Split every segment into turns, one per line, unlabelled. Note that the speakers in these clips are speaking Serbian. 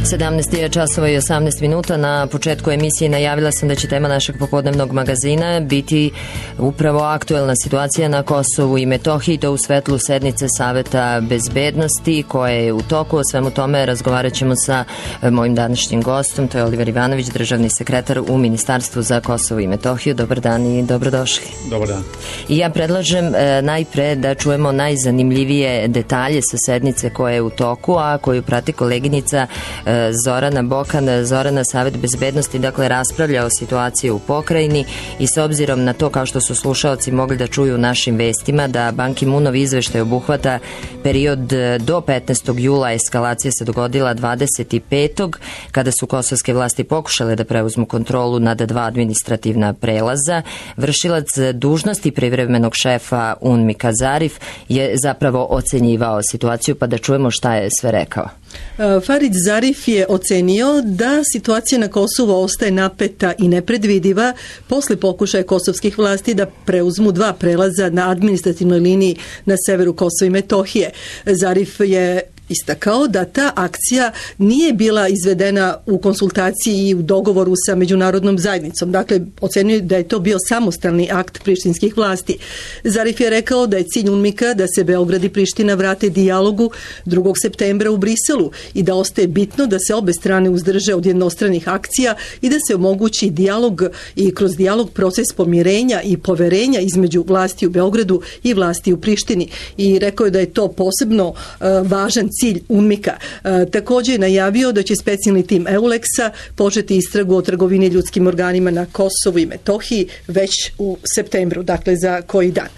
17 časova i 18 minuta. Na početku emisije najavila sam da će tema našeg popodnevnog magazina biti upravo aktuelna situacija na Kosovu i Metohiji, to u svetlu sednice Saveta bezbednosti koja je u toku. O svemu tome razgovarat ćemo sa mojim današnjim gostom, to je Oliver Ivanović, državni sekretar u Ministarstvu za Kosovo i Metohiju. Dobar dan i dobrodošli.
Dobar dan.
I ja predlažem najpre da čujemo najzanimljivije detalje sa sednice koja je u toku, a koju prati koleginica Zorana Bokan. Zorana, Savet bezbednosti dakle raspravlja o situaciji u pokrajini i s obzirom na to, kao što su slušaoci mogli da čuju u našim vestima, da Ban Ki-moonov izveštaj obuhvata period do 15. jula, eskalacija se dogodila 25. kada su kosovske vlasti pokušale da preuzmu kontrolu nad 2 administrativna prelaza. Vršilac dužnosti privremenog šefa UNMIK-a Zarif je zapravo ocenjivao situaciju, pa da čujemo šta je sve rekao.
Farid Zarif je ocenio da situacija na Kosovu ostaje napeta i nepredvidiva posle pokušaja kosovskih vlasti da preuzmu 2 prelaza na administrativnoj liniji na severu Kosova i Metohije. Zarif je istakao da ta akcija nije bila izvedena u konsultaciji i u dogovoru sa međunarodnom zajednicom. Dakle, ocenio da je to bio samostalni akt prištinskih vlasti. Zarif je rekao da je cilj UNMIK-a da se Beograd i Priština vrate dijalogu 2. septembra u Briselu i da ostaje bitno da se obe strane uzdrže od jednostranih akcija i da se omogući dijalog i kroz dijalog proces pomirenja i poverenja između vlasti u Beogradu i vlasti u Prištini. I rekao je da je to posebno važan cilj UNMIK-a. Također je najavio da će specijalni tim EULEX-a početi istragu o trgovini ljudskim organima na Kosovu i Metohiji već u septembru, dakle za koji dan.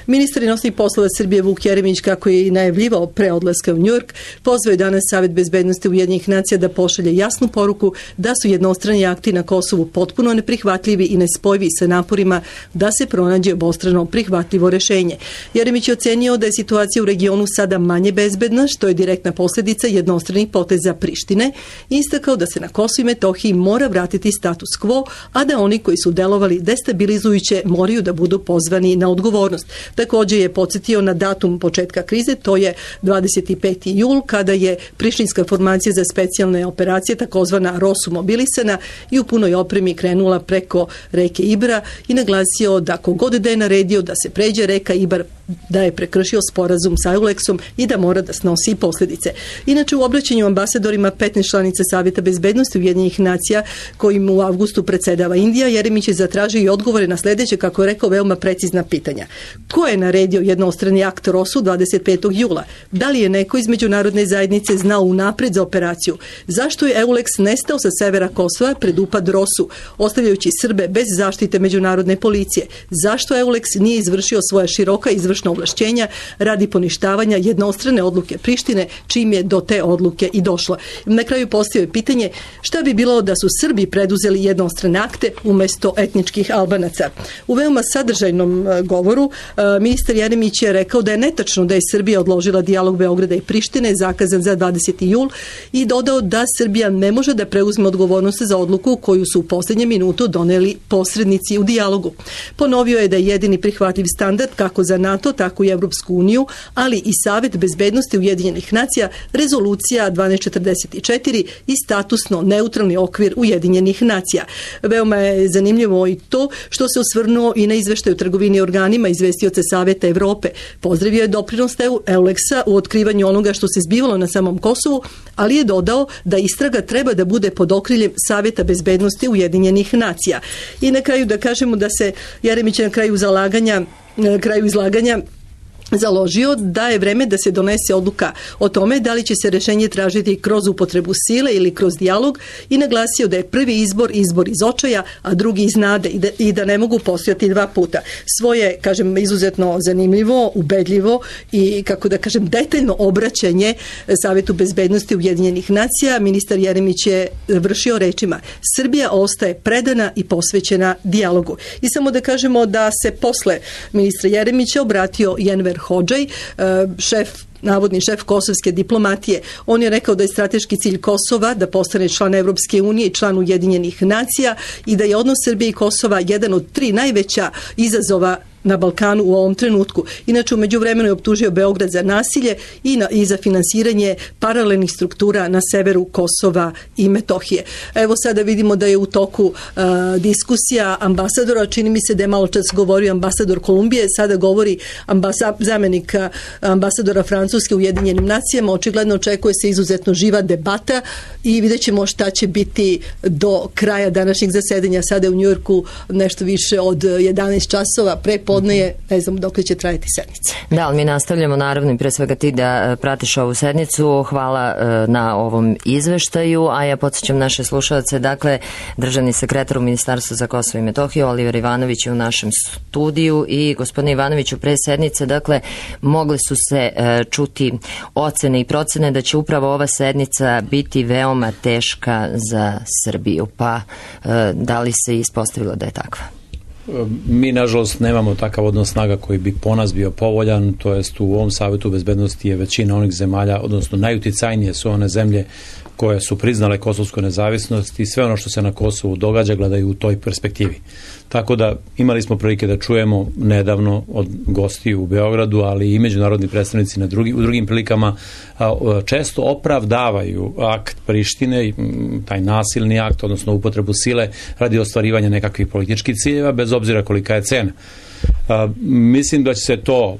Ministar inostranih poslova Srbije Vuk Jeremić, kako je i najavljivao pre odlaska u Njujork, pozvao je danas Savet bezbednosti Ujedinjenih nacija da pošalje jasnu poruku da su jednostrani akti na Kosovu potpuno neprihvatljivi i nespojivi sa naporima da se pronađe obostrano prihvatljivo rešenje. Jeremić je ocenio da je situacija u regionu sada manje bezbedna, što je direktna posljedica jednostranih poteza Prištine, i istakao da se na Kosovu i Metohiji mora vratiti status quo, a da oni koji su delovali destabilizujuće moraju da budu pozvani na odgovornost. Također je podsjetio na datum početka krize, to je 25. jul, kada je prištinska formacija za specijalne operacije, takozvana ROSU, mobilisana i u punoj opremi krenula preko reke Ibra i naglasio da kogod da je naredio da se pređe reka Ibar, da je prekršio sporazum sa EULEX-om i da mora da snosi posljedice. Inače, u obraćanju ambasadorima 15 članica Saveta bezbednosti Ujedinjenih nacija, kojim u avgustu predsedava Indija, Jeremić je zatražio i odgovore na sljedeće, kako je rekao, veoma precizna pitanja. Ko je naredio jednostrani akt ROSU 25. jula? Da li je neko iz međunarodne zajednice znao unapred za operaciju? Zašto je EULEX nestao sa severa Kosova pred upad ROSU, ostavljajući Srbe bez zaštite međunarodne policije? Zašto EULEX nije izvršio svoja široka izvršna ovlašćenja radi poništavanja jednostrane odluke Prištine, čim je do te odluke i došlo? Na kraju postavio pitanje šta bi bilo da su Srbi preduzeli jednostrane akte umjesto etničkih Albanaca. U veoma sadržajnom govoru ministar Jeremić je rekao da je netačno da je Srbija odložila dijalog Beograda i Prištine zakazan za 20. jul i dodao da Srbija ne može da preuzme odgovornost za odluku koju su u posljednje minutu doneli posrednici u dijalogu. Ponovio je da je jedini prihvatljiv standard kako za NATO, tako i Evropsku uniju, ali i Savet bezbednosti Ujedinjenih nacija, rezolucija 1244 i statusno neutralni okvir Ujedinjenih nacija. Veoma je zanimljivo i to što se osvrnuo i na izveštaj o trgovini organima izvestioca Saveta Evrope. Pozdravio je doprinos EULEX-a u otkrivanju onoga što se zbivalo na samom Kosovu, ali je dodao da istraga treba da bude pod okriljem Saveta bezbednosti Ujedinjenih nacija. I na kraju da kažemo da se Jeremić na kraju izlaganja založio da je vreme da se donese odluka o tome da li će se rešenje tražiti kroz upotrebu sile ili kroz dijalog i naglasio da je prvi izbor iz očaja, a drugi iz nade i da ne mogu postojati 2 puta. Svoje, kažem, izuzetno zanimljivo, ubedljivo i, kako da kažem, detaljno obraćanje Savetu bezbednosti Ujedinjenih nacija ministar Jeremić je vršio rečima: Srbija ostaje predana i posvećena dijalogu. I samo da kažemo da se posle ministra Jeremića obratio Enver Hodžaj, navodni šef kosovske diplomatije. On je rekao da je strateški cilj Kosova da postane član Evropske unije i član Ujedinjenih nacija i da je odnos Srbije i Kosova jedan od 3 najveća izazova na Balkanu u ovom trenutku. Inače, u međuvremenu je optužio Beograd za nasilje i za finansiranje paralelnih struktura na severu Kosova i Metohije. Evo sada vidimo da je u toku diskusija ambasadora, čini mi se da je malo čas govorio ambasador Kolumbije, sada govori zamjenik ambasadora Francuske u Ujedinjenim nacijama. Očigledno očekuje se izuzetno živa debata i vidjet ćemo šta će biti do kraja današnjeg zasedanja. Sada je u Njujorku nešto više od 11 časova, prepodne je, ne znam dok će trajati sednica.
Da, ali mi nastavljamo naravno i pre svega ti da pratiš ovu sednicu. Hvala na ovom izveštaju, a ja podsjećam naše slušalce, dakle, državni sekretar u Ministarstvu za Kosovo i Metohiju, Oliver Ivanović je u našem studiju i gospodine Ivanoviću, pre sednice, dakle, mogle su se čuti ocene i procene da će upravo ova sednica biti veoma teška za Srbiju, pa da li se ispostavilo da je takva?
Mi, nažalost, nemamo takav odnos snaga koji bi po nas bio povoljan, to jest u ovom Savetu bezbednosti je većina onih zemalja, odnosno najuticajnije su one zemlje koje su priznale kosovsku nezavisnost i sve ono što se na Kosovu događa gledaju u toj perspektivi. Tako da imali smo prilike da čujemo nedavno od gostiju u Beogradu, ali i međunarodni predstavnici u drugim prilikama često opravdavaju akt Prištine, taj nasilni akt, odnosno upotrebu sile radi ostvarivanja nekakvih političkih ciljeva, bez obzira kolika je cena. Mislim da će se to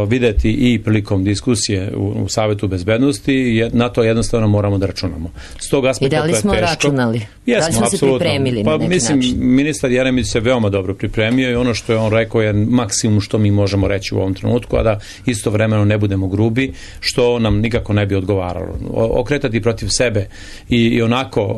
videti i prilikom diskusije u Savetu bezbednosti, na to jednostavno moramo da računamo. S tog aspekta to je teško.
I da li smo računali?
Jesmo,
da li smo se pripremili na neki
način? Ministar Jeremić se veoma dobro pripremio i ono što je on rekao je maksimum što mi možemo reći u ovom trenutku, a da istovremeno ne budemo grubi, što nam nikako ne bi odgovaralo. Okretati protiv sebe i onako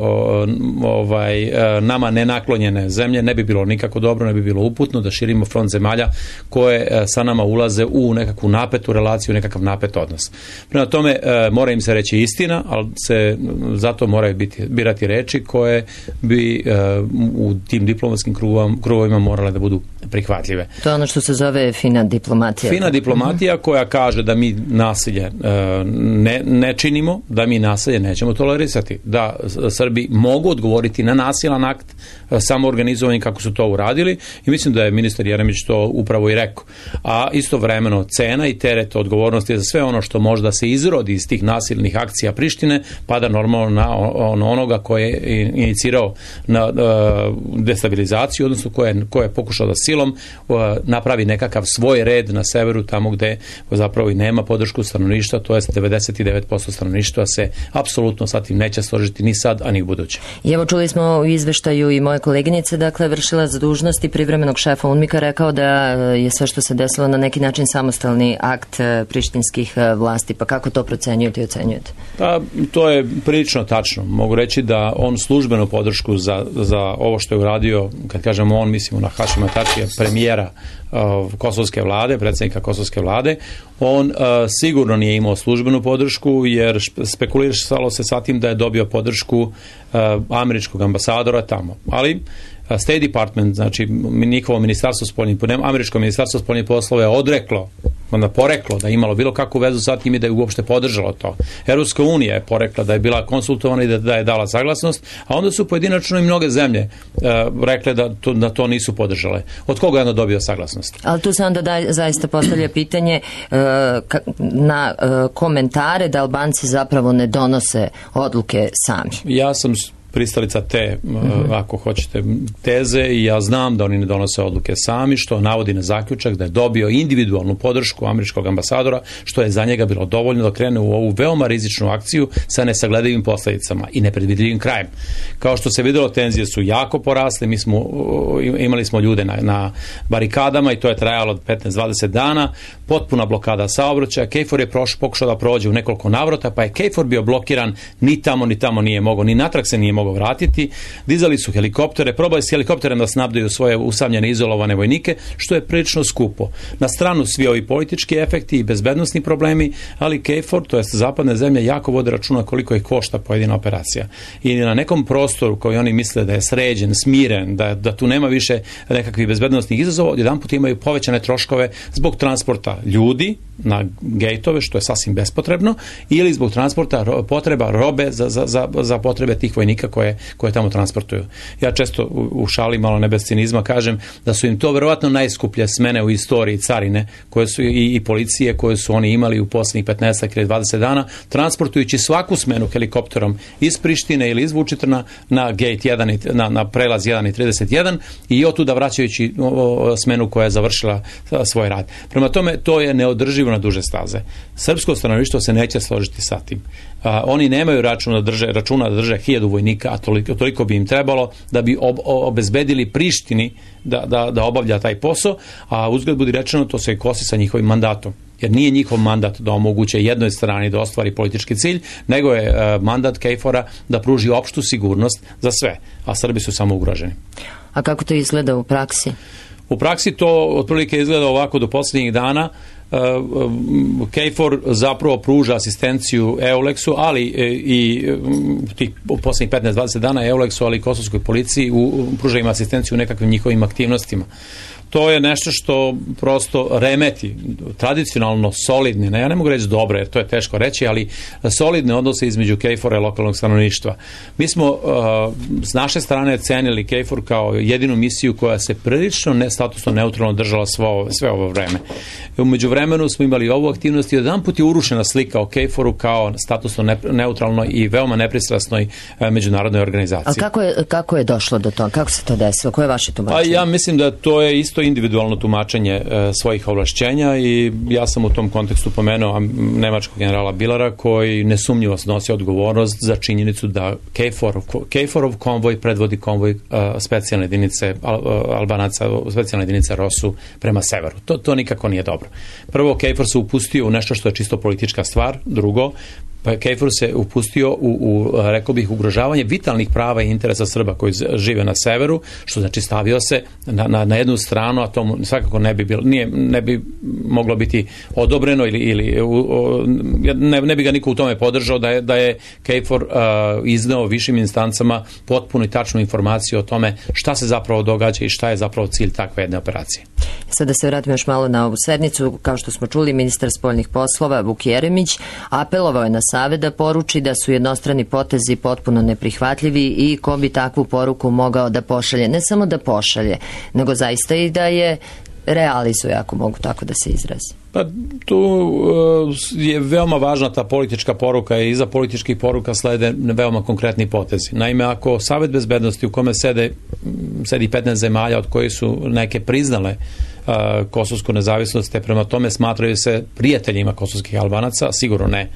nama nenaklonjene zemlje ne bi bilo nikako dobro, ne bi bilo uputno da širimo front zemalja koje sa nama ulaze u nekakvu napetu relaciju, nekakav napet odnos. Prema tome, mora im se reći istina, ali se zato moraju birati reči koje bi u tim diplomatskim krugovima morale da budu prihvatljive.
To je ono što se zove fina diplomatija.
Fina diplomatija koja kaže da mi nasilje ne činimo, da mi nasilje nećemo tolerisati, da Srbi mogu odgovoriti na nasilan akt samoorganizovani kako su to uradili i mislim da je ministar Jeremić to upravo i rekao. A istovremeno cena i teret odgovornosti za sve ono što možda se izrodi iz tih nasilnih akcija Prištine pada normalno na onoga koji je inicirao na destabilizaciju, odnosno ko je pokušao da silom napravi nekakav svoj red na severu, tamo gde zapravo i nema podršku stanovništva, to je 99% stanovništva se apsolutno sa tim neće složiti ni sad, a ni u buduće.
I evo čuli smo u izveštaju i moje koleginice, dakle, vršila za dužnosti privremenog šefa UNMIK-a rekao da je sve što se desilo na neki način samostalni akt prištinskih vlasti, pa kako to procenjujete i ocenjujete?
Pa, to je prilično tačno. Mogu reći da on službenu podršku za ovo što je uradio, kad kažemo on, mislimo na Hašima Tačija, premijera kosovske vlade, predsjednika kosovske vlade, on sigurno nije imao službenu podršku, jer spekuliralo se sa tim da je dobio podršku američkog ambasadora tamo. Ali State Department, znači njihovo ministarstvo spoljnih, američko ministarstvo spoljnih poslova je poreklo da je imalo bilo kakvu vezu sa tim i da je uopšte podržalo to. Europska unija je porekla da je bila konsultovana i da je dala saglasnost, a onda su pojedinačno i mnoge zemlje rekle da to nisu podržale. Od koga je onda dobio saglasnost?
Ali tu se onda zaista postavlja pitanje na komentare da Albanci zapravo ne donose odluke sami.
Ja sam pristalica te, ako hoćete, teze i ja znam da oni ne donose odluke sami, što navodi na zaključak da je dobio individualnu podršku američkog ambasadora, što je za njega bilo dovoljno da krene u ovu veoma rizičnu akciju sa nesagledivim posledicama i nepredvidljivim krajem. Kao što se videlo, tenzije su jako porasle, imali smo ljude na barikadama i to je trajalo od 15-20 dana, potpuna blokada saobraćaja, KFOR je pokušao da prođe u nekoliko navrata, pa je KFOR bio blokiran, ni tamo nije mogao, ni natrag se nije mogao vratiti, dizali su helikoptere, probali s helikopterem da snabdaju svoje usamljene, izolovane vojnike, što je prilično skupo. Na stranu svi ovi politički efekti i bezbednosni problemi, ali KFOR, to jest zapadne zemlje, jako vode računa koliko ih košta pojedina operacija. I na nekom prostoru koji oni misle da je sređen, smiren, da tu nema više nekakvih bezbednosnih izazova, odjedanput imaju povećane troškove zbog transporta ljudi na gejtove, što je sasvim bespotrebno, ili zbog transporta potreba robe za potrebe tih vojnika vojnika koje tamo transportuju. Ja često u šali, malo ne bez cinizma, kažem da su im to verovatno najskuplje smene u istoriji carine koje su i policije koje su oni imali u posljednjih 15 ili 20 dana, transportujući svaku smenu helikopterom iz Prištine ili iz Vučitrna na gate 1, na prelaz 1 i 31 i otuda vraćajući smenu koja je završila svoj rad. Prema tome, to je neodrživo na duže staze. Srpsko stanovništvo se neće složiti sa tim. Oni nemaju računa da drže 1000 vojnika, a toliko bi im trebalo da bi obezbedili Prištini da obavlja taj posao, a uzgled budi rečeno, to se i kosi sa njihovim mandatom. Jer nije njihov mandat da omoguće jednoj strani da ostvari politički cilj, nego je mandat KFOR-a da pruži opštu sigurnost za sve, a Srbi su samo ugroženi.
A kako to izgleda u praksi?
U praksi to otprilike izgleda ovako do posljednjih dana. KFOR zapravo pruža asistenciju EULEX-u, ali i tih posljednjih 15-20 dana EULEX-u, ali i kosovskoj policiji pruža im asistenciju u nekakvim njihovim aktivnostima. To je nešto što prosto remeti tradicionalno solidne, ja ne mogu reći dobre, jer to je teško reći, ali solidne odnose između KFOR-a i lokalnog stanovništva. Mi smo s naše strane cenili KFOR kao jedinu misiju koja se prilično statusno neutralno držala sve ovo vreme. U međuvremenu smo imali ovu aktivnost i jedan put je urušena slika o KFOR-u kao statusno neutralnoj i veoma nepristrasnoj međunarodnoj organizaciji.
A kako je došlo do toga? Kako se to desilo? Koje je vaše tumačenje?
Ja mislim da to je isto individualno tumačenje svojih ovlašćenja i ja sam u tom kontekstu pomenuo nemačkog generala Bilara koji nesumnjivo snosi odgovornost za činjenicu da KFOR-ov konvoj predvodi konvoj specijalne jedinice Albanaca, specijalne jedinice ROSU prema severu. To nikako nije dobro. Prvo, KFOR se upustio u nešto što je čisto politička stvar. Drugo, KFOR se upustio rekao bih, ugrožavanje vitalnih prava i interesa Srba koji žive na severu, što znači stavio se na jednu stranu, a to svakako ne bi moglo biti odobreno ili ne bi ga niko u tome podržao da je KFOR izneo višim instancama potpuno i tačnu informaciju o tome šta se zapravo događa i šta je zapravo cilj takve jedne operacije.
Sada se vratimo još malo na ovu sednicu. Kao što smo čuli, ministar spoljnih poslova Vuk Jeremić apelovao je na Savet da poruči da su jednostrani potezi potpuno neprihvatljivi i ko bi takvu poruku mogao da pošalje. Ne samo da pošalje, nego zaista i da je realizuje, ako mogu tako da se izrazi.
Pa tu je veoma važna ta politička poruka i iza političkih poruka slede veoma konkretni potezi. Naime, ako Savet bezbednosti u kome sedi 15 zemalja od kojih su neke priznale kosovsku nezavisnost, te prema tome smatraju se prijateljima kosovskih Albanaca, sigurno ne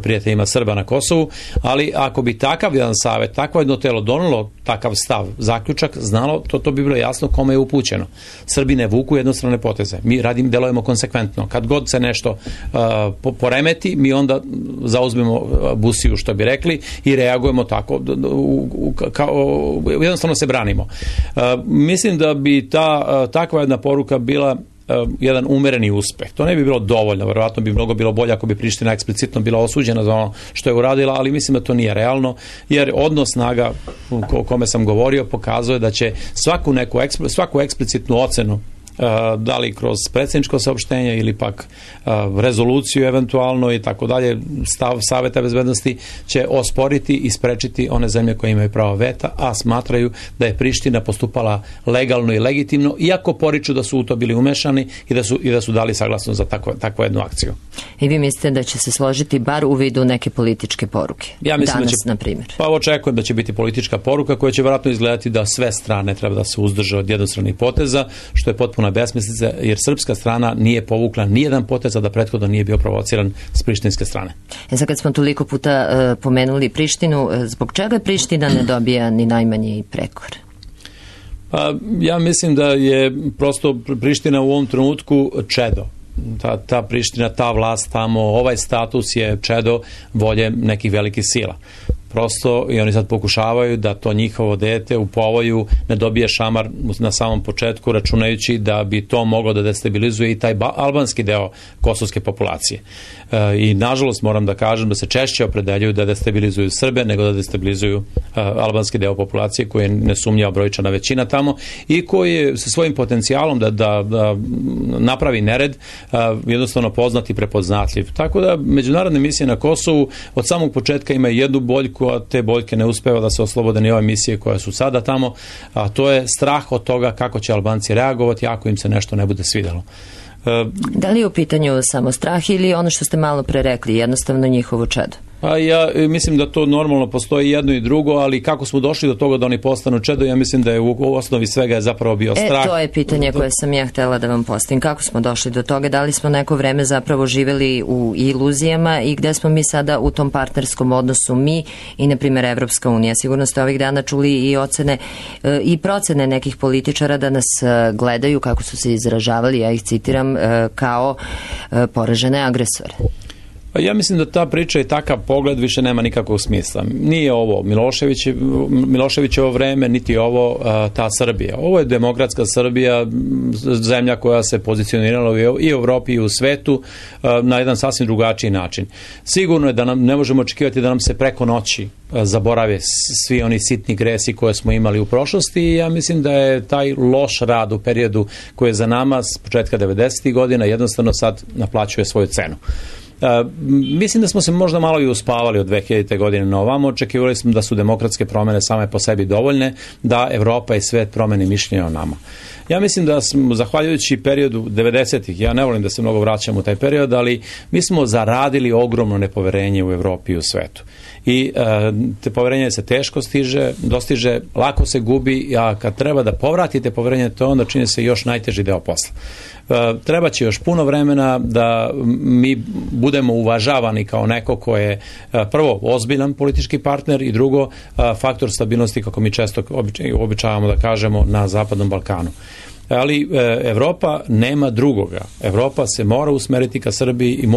prijateljima Srba na Kosovu, ali ako bi takav jedan savet, takvo jedno telo donelo takav stav, zaključak, znalo, to bi bilo jasno kome je upućeno. Srbi ne vuku jednostrane poteze. Mi delujemo konsekventno. Kad god se nešto poremeti, mi onda zauzmemo busiju, što bi rekli, i reagujemo tako. Jednostavno se branimo. Mislim da bi takva jedna poruka bila jedan umereni uspeh. To ne bi bilo dovoljno, verovatno bi mnogo bilo bolje ako bi Priština eksplicitno bila osuđena za ono što je uradila, ali mislim da to nije realno, jer odnos snaga o kome sam govorio pokazuje da će svaku eksplicitnu ocenu, da li kroz predsjedničko saopštenje ili pak rezoluciju eventualno i tako dalje, stav Saveta bezbednosti će osporiti i sprečiti one zemlje koje imaju pravo veta, a smatraju da je Priština postupala legalno i legitimno, iako poriču da su u to bili umešani i da su dali saglasnost za takvu jednu akciju.
I vi mislite da će se složiti bar u vidu neke političke poruke?
Ja mislim
danas, na primjer.
Pa očekujem da će biti politička poruka koja će vjerojatno izgledati da sve strane treba da se uzdrže od jednostranih poteza, što je potpuno besmislica, jer srpska strana nije povukla nijedan potez, a da prethodno nije bio provociran s prištinske strane.
Sad kad smo toliko puta pomenuli Prištinu, zbog čega Priština ne dobija ni najmanji prekor?
Ja mislim da je prosto Priština u ovom trenutku čedo. Ta Priština, ta vlast tamo, ovaj status je čedo volje nekih velikih sila. Prosto i oni sad pokušavaju da to njihovo dete u povoju ne dobije šamar na samom početku, računajući da bi to moglo da destabilizuje i taj albanski deo kosovske populacije. I nažalost moram da kažem da se češće opredeljuju da destabilizuju Srbe nego da destabilizuju albanski deo populacije koji je nesumnjiva brojčana većina tamo i koji je sa svojim potencijalom da napravi nered jednostavno poznat i prepoznatljiv. Tako da međunarodne misije na Kosovu od samog početka imaju jednu boljku, Grčku, a te boljke ne uspeva da se oslobode ni ove misije koje su sada tamo, a to je strah od toga kako će Albanci reagovati ako im se nešto ne bude svidjelo.
Da li je u pitanju samo strah ili ono što ste malo pre rekli, jednostavno njihovo čedo?
Pa ja mislim da to normalno postoji jedno i drugo, ali kako smo došli do toga da oni postanu čedo, ja mislim da je u osnovi svega je zapravo bio strah.
To je pitanje koje sam ja htjela da vam postavim. Kako smo došli do toga? Da li smo neko vreme zapravo živjeli u iluzijama i gde smo mi sada u tom partnerskom odnosu mi i, na primjer, Evropska unija? Sigurno ste ovih dana čuli i ocene i procene nekih političara da nas gledaju, kako su se izražavali, ja ih citiram, kao poražene agresore.
Ja mislim da ta priča i takav pogled više nema nikakvog smisla. Nije ovo Miloševićevo vreme, niti ovo ta Srbija. Ovo je demokratska Srbija, zemlja koja se pozicionirala i u Evropi i u svetu na jedan sasvim drugačiji način. Sigurno je da nam ne možemo očekivati da nam se preko noći zaborave svi oni sitni gresi koje smo imali u prošlosti i ja mislim da je taj loš rad u periodu koji je za nama s početka 90. godina jednostavno sad naplaćuje svoju cenu. Mislim da smo se možda malo i uspavali od 2000. godine na ovamo, očekivali smo da su demokratske promjene same po sebi dovoljne, da Evropa i svet promeni mišljenje o nama. Ja mislim da smo, zahvaljujući periodu 90-ih, ja ne volim da se mnogo vraćam u taj period, ali mi smo zaradili ogromno nepoverenje u Evropi i u svetu. I te poverenje se teško dostiže, lako se gubi, a kad treba da povratite poverenje, to onda čini se još najteži deo posla. Treba će još puno vremena da mi budemo uvažavani kao neko ko je prvo ozbiljan politički partner i drugo faktor stabilnosti, kako mi često običavamo da kažemo, na Zapadnom Balkanu. Ali Evropa nema drugoga. Evropa se mora usmeriti ka Srbiji i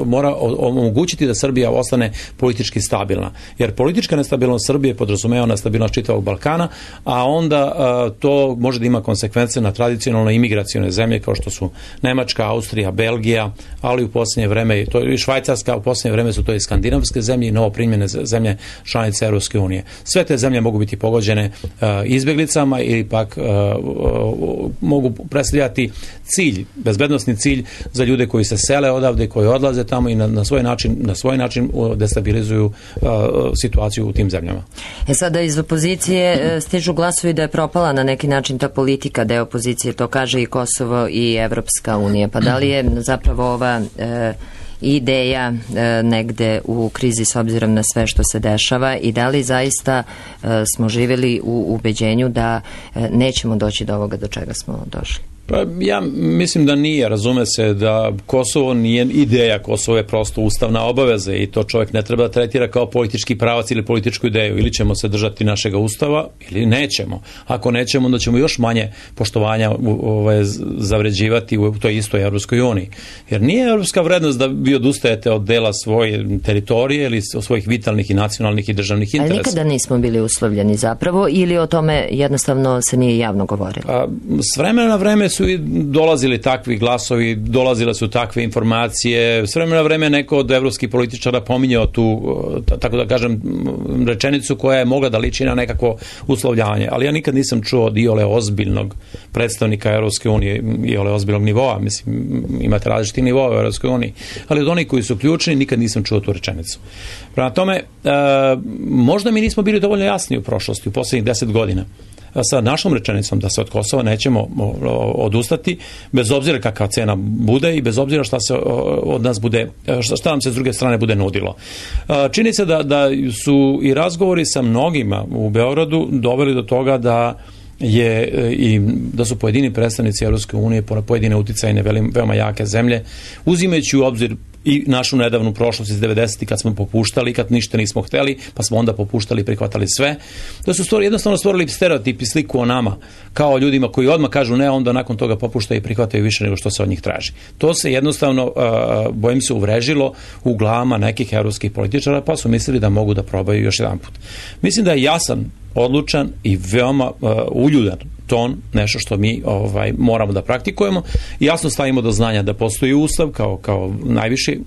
mora omogućiti da Srbija ostane politički stabilna. Jer politička nestabilnost Srbije podrazumeva nestabilnost čitavog Balkana, a onda to može da ima konsekvence na tradicionalne imigracione zemlje kao što su Nemačka, Austrija, Belgija, ali u posljednje vreme to i Švajcarska, u posljednje vreme su to i skandinavske zemlje i novoprimljene zemlje članice Europske unije. Sve te zemlje mogu biti pogođene izbjeglicama ili pak mogu predstavljati cilj, bezbednosni cilj za ljude koji se sele odavde, koji odlaze tamo i na svoj način destabilizuju situaciju u tim zemljama.
Sada iz opozicije stižu glasovi da je propala na neki način ta politika, deo opozicije, to kaže i Kosovo i Evropska unija. Pa da li je zapravo ova ideja negde u krizi s obzirom na sve što se dešava i da li zaista smo živjeli u ubeđenju da nećemo doći do ovoga do čega smo došli?
Pa ja mislim da nije, razume se da Kosovo nije ideja, Kosovo je prosto ustavna obaveza i to čovjek ne treba da tretira kao politički pravac ili političku ideju. Ili ćemo se držati našega ustava ili nećemo. Ako nećemo, onda ćemo još manje poštovanja zavređivati u toj istoj Evropskoj uniji. Jer nije evropska vrednost da vi odustajete od dela svoje teritorije ili svojih vitalnih i nacionalnih i državnih interesa.
Ali nikada nismo bili uslovljeni zapravo ili o tome jednostavno se nije javno govorilo?
S vremena na vreme su i dolazili takvi glasovi, dolazile su takve informacije. S vremena na vreme neko od evropskih političara pominjao tu, tako da kažem, rečenicu koja je mogla da liči na nekakvo uslovljavanje. Ali ja nikad nisam čuo od iole ozbiljnog predstavnika Evropske unije, iole ozbiljnog nivoa. Mislim, imate različiti nivoa u Evropskoj uniji. Ali od onih koji su ključni nikad nisam čuo tu rečenicu. Prema tome, možda mi nismo bili dovoljno jasni u prošlosti, u posljednjih 10 godina. Sa našom rečenicom da se od Kosova nećemo odustati, bez obzira kakva cena bude i bez obzira šta se od nas bude, šta nam se s druge strane bude nudilo. Čini se da su i razgovori sa mnogima u Beogradu doveli do toga da su pojedini predstavnici Evropske unije, pojedine uticajne veoma jake zemlje, uzimajući u obzir i našu nedavnu prošlost iz 90. kad smo popuštali, kad ništa nismo hteli, pa smo onda popuštali i prihvatali sve. Da su jednostavno stvorili stereotip i sliku o nama, kao ljudima koji odmah kažu ne, onda nakon toga popuštaju i prihvataju više nego što se od njih traži. To se jednostavno, bojim se, uvrežilo u glavama nekih evropskih političara, pa su mislili da mogu da probaju još jedan put. Mislim da je jasan odlučan i veoma uljudan ton, nešto što mi moramo da praktikujemo i jasno stavimo do znanja da postoji Ustav kao najviši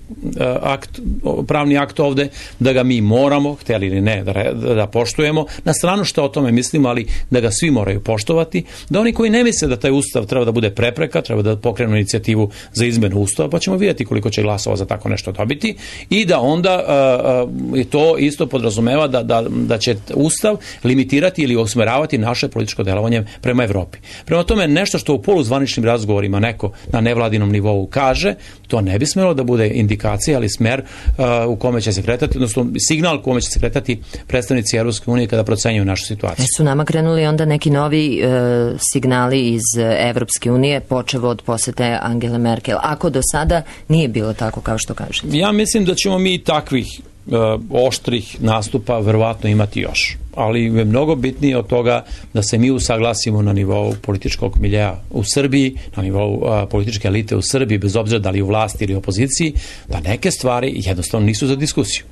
pravni akt ovde, da ga mi moramo, hteli ili ne, da poštujemo. Na stranu što o tome mislimo, ali da ga svi moraju poštovati, da oni koji ne misle da taj Ustav treba da bude prepreka, treba da pokrenu inicijativu za izmenu Ustava, pa ćemo vidjeti koliko će glasova za tako nešto dobiti i da onda to isto podrazumeva da će Ustav limitirati ili usmeravati naše političko delovanje prema Evropi. Prema tome, nešto što u poluzvaničnim razgovorima neko na nevladinom nivou kaže, to ne bi smelo da bude indikacija, ali smer u kome će se kretati, odnosno signal u kome će se kretati predstavnici Evropske unije kada procenjuju našu situaciju.
Su nama krenuli onda neki novi signali iz Evropske unije, počev od posete Angele Merkel, ako do sada nije bilo tako kao što kažete? Ja mislim da ćemo mi takvih oštrih nastupa verovatno imati još. Ali je mnogo bitnije od toga da se mi usaglasimo na nivou političkog miljeja u Srbiji, na nivou političke elite u Srbiji, bez obzira da li u vlasti ili opoziciji, da neke stvari jednostavno nisu za diskusiju.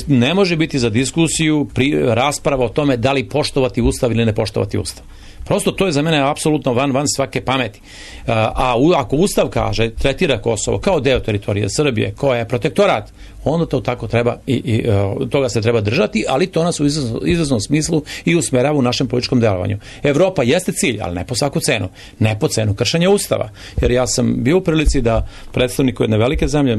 Ne može biti za diskusiju rasprava o tome da li poštovati Ustav ili ne poštovati Ustav. Prosto to je za mene apsolutno van svake pameti. A ako Ustav kaže, tretira Kosovo kao deo teritorije Srbije, koja je protektorat, onda to tako treba i toga se treba držati, ali to nas u izvesnom smislu i usmerava u našem političkom delovanju. Evropa jeste cilj, ali ne po svaku cenu. Ne po cenu kršenja Ustava. Jer ja sam bio u prilici da predstavniku jedne velike zemlje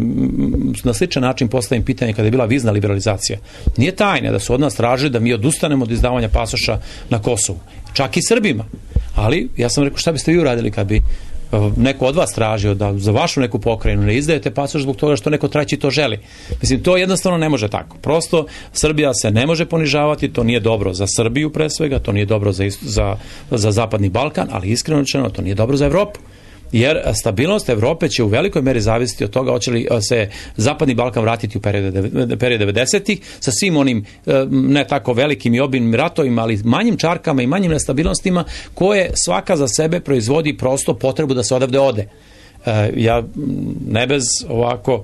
na sličan način postavim pitanje kada je bila vizna liberalizacija. Nije tajna da su od nas tražili da mi odustanemo od izdavanja pasoša na Kosovu. Čak i Srbima. Ali ja sam rekao, šta biste vi uradili kad bi neko od vas tražio da za vašu neku pokrajinu ne izdajete pasoš zbog toga što neko treći to želi. Mislim, to jednostavno ne može tako. Prosto, Srbija se ne može ponižavati, to nije dobro za Srbiju pre svega, to nije dobro za Zapadni Balkan, ali iskreno rečeno, to nije dobro za Evropu. Jer stabilnost Evrope će u velikoj meri zavisiti od toga hoće li se Zapadni Balkan vratiti u period 90-ih sa svim onim ne tako velikim i obimnim ratovima, ali manjim čarkama i manjim nestabilnostima koje svaka za sebe proizvodi prosto potrebu da se odavde ode. Ja ne bez ovako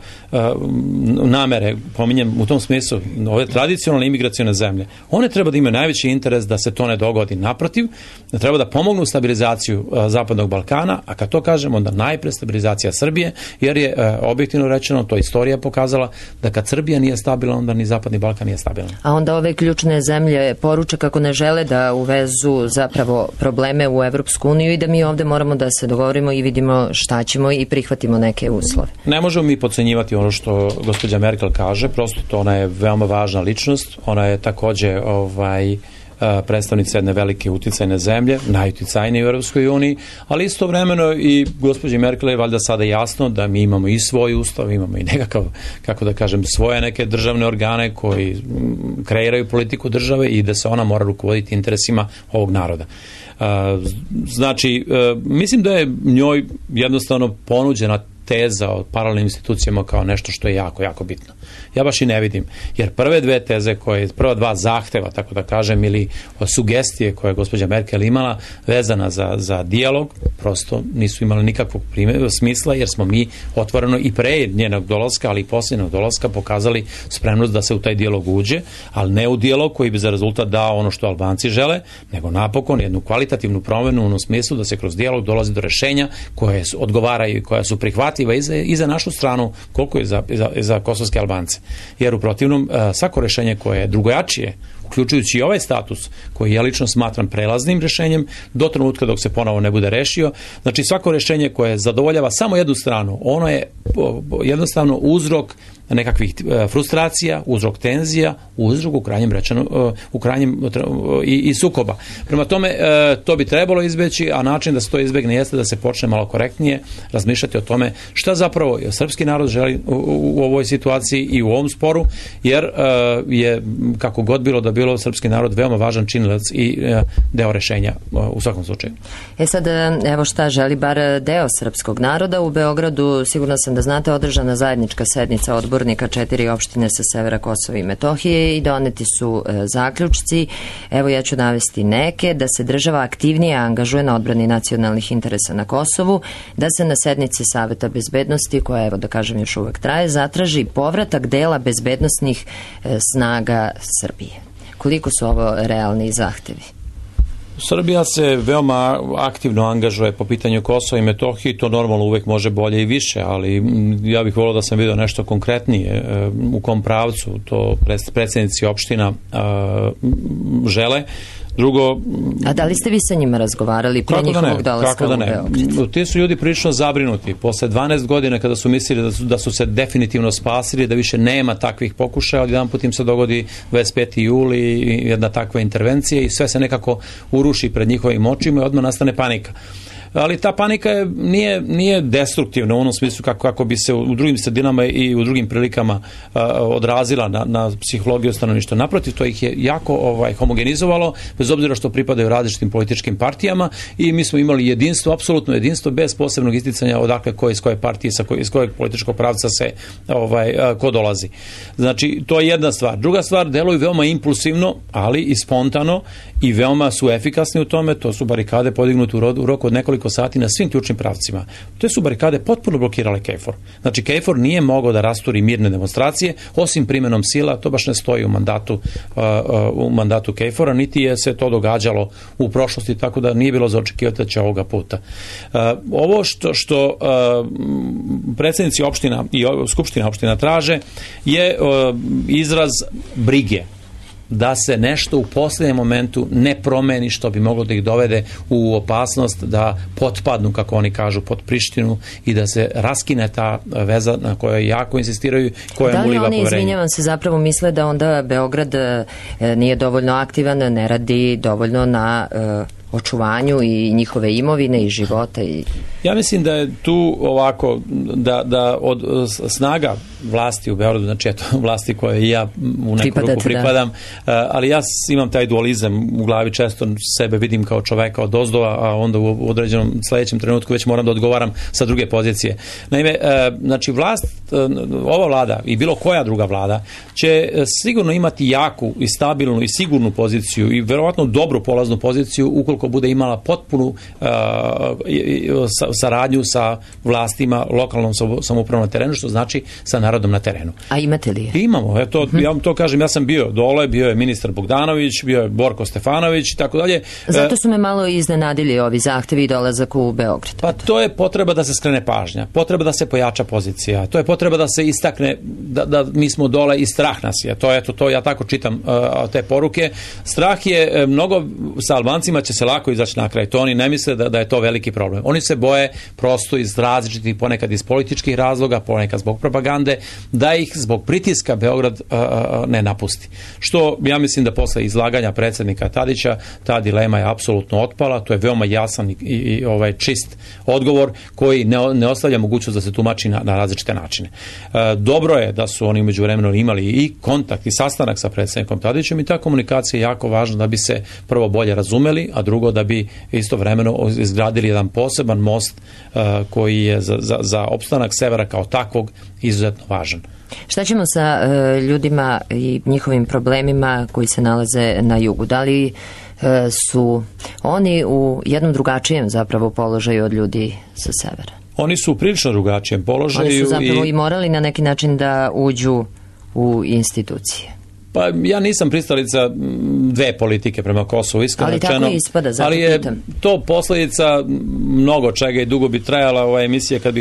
namere pominjem u tom smislu ove tradicionalne imigracione zemlje. One treba da imaju najveći interes da se to ne dogodi. Naprotiv, da treba da pomognu stabilizaciju Zapadnog Balkana, a kad to kažemo onda najpre stabilizacija Srbije, jer je objektivno rečeno, to istorija pokazala da kad Srbija nije stabilna, onda ni Zapadni Balkan nije stabilan. A onda ove ključne zemlje poruče kako ne žele da uvezu zapravo probleme u Evropsku uniju i da mi ovde moramo da se dogovorimo i vidimo šta ćemo i prihvatimo neke uslove.
Ne možemo mi podcenjivati ono što gospođa Merkel kaže, prosto to ona je veoma važna ličnost, ona je takođe predstavnica jedne velike uticajne zemlje, najuticajnije u Europskoj uniji, ali istovremeno i gospođi Merkel je valjda sada jasno da mi imamo i svoj ustav, imamo i nekakav, kako da kažem, svoje neke državne organe koji kreiraju politiku države i da se ona mora rukovoditi interesima ovog naroda. Znači, mislim da je njoj jednostavno ponuđena teza o paralelnim institucijama kao nešto što je jako, jako bitno. Ja baš i ne vidim, jer prve dve teze prva dva zahteva, tako da kažem, ili sugestije koje je gospođa Merkel imala vezana za dijalog, prosto nisu imali nikakvog smisla, jer smo mi otvoreno i pre njenog dolaska, ali i posljednog dolaska pokazali spremnost da se u taj dijalog uđe, ali ne u dijalog koji bi za rezultat dao ono što Albanci žele, nego napokon jednu kvalitativnu promenu u onom smislu da se kroz dijalog dolazi do rešenja koje odgovaraju i koja su prihvatljiva i za našu stranu, koliko je za kosovske Albance. Jer u protivnom, svako rešenje koje je drugojačije, uključujući i ovaj status, koji ja lično smatram prelaznim rešenjem, do trenutka dok se ponovo ne bude rešio, znači svako rešenje koje zadovoljava samo jednu stranu, ono je jednostavno uzrok nekakvih frustracija, uzrok tenzija, uzrok u krajnjem i sukoba. Prema tome, to bi trebalo izbeći, a način da se to izbegne jeste da se počne malo korektnije razmišljati o tome šta zapravo srpski narod želi u ovoj situaciji i u ovom sporu, jer je, kako god bilo da bilo, srpski narod veoma važan činilac i deo rešenja u svakom slučaju.
Sad, evo šta želi bar deo srpskog naroda. U Beogradu, sigurno sam da znate, održana zajednička sednica odbornika 4 opštine sa severa Kosova i Metohije i doneti su zaključci. Evo ja ću navesti neke: da se država aktivnije angažuje na odbrani nacionalnih interesa na Kosovu, da se na sednici Saveta bezbednosti, koja evo da kažem još uvek traje, zatraži povratak dela bezbednosnih snaga Srbije. Koliko su ovo realni zahtevi?
Srbija se veoma aktivno angažuje po pitanju Kosova i Metohije i to normalno uvek može bolje i više, ali ja bih volio da sam vidio nešto konkretnije u kom pravcu to predsjednici opština žele. Drugo,
a da li ste vi sa njima razgovarali pre njihovog dolaska u Beograd?
Ti su ljudi prilično zabrinuti. Posle 12 godina kada su mislili da su se definitivno spasili, da više nema takvih pokušaja, jedan put im se dogodi 25. juli i jedna takva intervencija i sve se nekako uruši pred njihovim očima i odmah nastane panika. Ali ta panika nije destruktivna u onom smislu kako bi se u drugim sredinama i u drugim prilikama odrazila na psihologiju stanovništva. Naprotiv, to ih je jako homogenizovalo, bez obzira što pripadaju različitim političkim partijama i mi smo imali jedinstvo, apsolutno jedinstvo, bez posebnog isticanja odakle ko iz koje partije, iz kojeg političkog pravca se ko dolazi. Znači, to je jedna stvar. Druga stvar, deluju veoma impulsivno, ali i spontano i veoma su efikasni u tome. To su barikade podignute u roku od nekoliko sati na svim ključnim pravcima. Te su barikade potpuno blokirale KFOR. Znači, KFOR nije mogao da rasturi mirne demonstracije, osim primenom sila, to baš ne stoji u mandatu KFOR-a, niti je se to događalo u prošlosti, tako da nije bilo za očekivati da će ovoga puta. Ovo što predsjednici opština i skupština opština traže je izraz brige da se nešto u posljednjem momentu ne promeni što bi moglo da ih dovede u opasnost da potpadnu, kako oni kažu, pod Prištinu i da se raskine ta veza na kojoj jako insistiraju, koja mu uliva poverenje.
Da li oni, izvinjavam se, zapravo misle da onda Beograd nije dovoljno aktivan, ne radi dovoljno na očuvanju i njihove imovine i života?
Ja mislim da je tu ovako, da od snaga vlasti u Beogradu, znači eto, vlasti koje ja u neku ruku pripadam, ali ja imam taj dualizam u glavi, često sebe vidim kao čoveka od ozdova, a onda u određenom sledećem trenutku već moram da odgovaram sa druge pozicije. Naime, znači ova vlada i bilo koja druga vlada će sigurno imati jaku i stabilnu i sigurnu poziciju i verovatno dobru polaznu poziciju ukoliko bude imala potpunu saradnju sa vlastima, lokalnom samoupravom na terenu, što znači sa narodom na terenu.
A imate li je?
Imamo. Ja vam to kažem, ja sam bio dole, bio je ministar Bogdanović, bio je Borko Stefanović i tako dalje.
Zato su me malo iznenadili ovi zahtevi i dolazak u Beograd.
Pa to je potreba da se skrene pažnja, potreba da se pojača pozicija, to je potreba da se istakne da mi smo dole i strah nas je. To ja tako čitam te poruke. Strah je mnogo, sa Albancima će se lako izaći na kraj. To oni ne misle da je to veliki problem. Oni se boje prosto iz različitih, ponekad iz političkih razloga, ponekad zbog propagande, da ih zbog pritiska Beograd ne napusti. Što ja mislim da posle izlaganja predsjednika Tadića ta dilema je apsolutno otpala, to je veoma jasan i čist odgovor koji ne ostavlja mogućnost da se tumači na različite načine. Dobro je da su oni umeđu vremenu imali i kontakt i sastanak sa predsjednikom Tadićem i ta komunikacija je jako važna da bi se prvo bolje razumeli, a drugo da bi istovremeno izgradili jedan poseban most koji je za opstanak severa kao takvog izuzetno važan.
Šta ćemo sa ljudima i njihovim problemima koji se nalaze na jugu? Da li su oni u jednom drugačijem zapravo položaju od ljudi sa severa?
Oni su u prilično drugačijem položaju.
Oni su zapravo i morali na neki način da uđu u institucije.
Pa ja nisam pristalica dve politike prema Kosovu, iskreno rečeno.
Ali tako ispada, zato
ali je
pitam.
To posljedica mnogo čega i dugo bi trajala ova emisija kad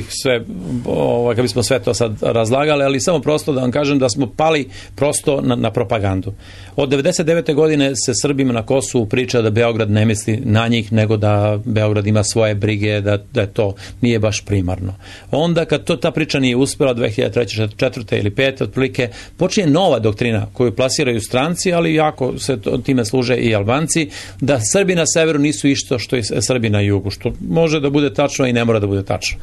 bismo sve to sad razlagali, ali samo prosto da vam kažem da smo pali prosto na propagandu. Od 99. godine se Srbima na Kosovu priča da Beograd ne misli na njih, nego da Beograd ima svoje brige, da to nije baš primarno. Onda kad ta priča nije uspela 2003. 2004. ili 2005. otprilike, počinje nova doktrina koju plasiraju stranci, ali jako se time služe i Albanci, da Srbi na severu nisu isto što i Srbi na jugu, što može da bude tačno i ne mora da bude tačno.